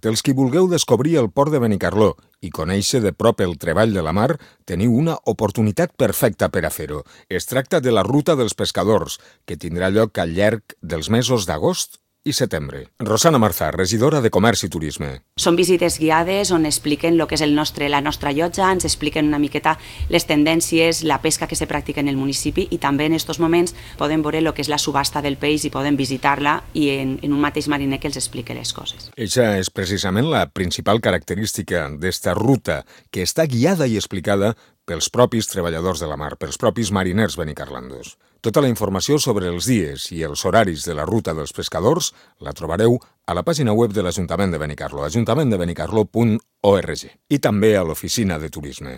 Dels qui vulgueu descobrir el port de Benicarló i conèixer de prop el treball de la mar, teniu una oportunitat perfecta per a fer-ho. Es tracta de la Ruta dels Pescadors, que tindrà lloc al llarg dels mesos d'agost i setembre. Rosana Marzà, regidora de Comerç i Turisme. Són visites guiades on expliquen el que és la nostra llotja, ens expliquen una miqueta les tendències, la pesca que se practica en el municipi i també en aquests moments poden veure el que és la subhasta del peix i poden visitar-la i en un mateix mariner que els explique les coses. Eixa és precisament la principal característica d'esta ruta, que està guiada i explicada pels propis treballadors de la mar, pels propis mariners benicarlandos. Tota la informació sobre els dies i els horaris de la Ruta dels Pescadors la trobareu a la pàgina web de l'Ajuntament de Benicarló, ajuntamenttdebenicarló.org, i també a l'Oficina de Turisme.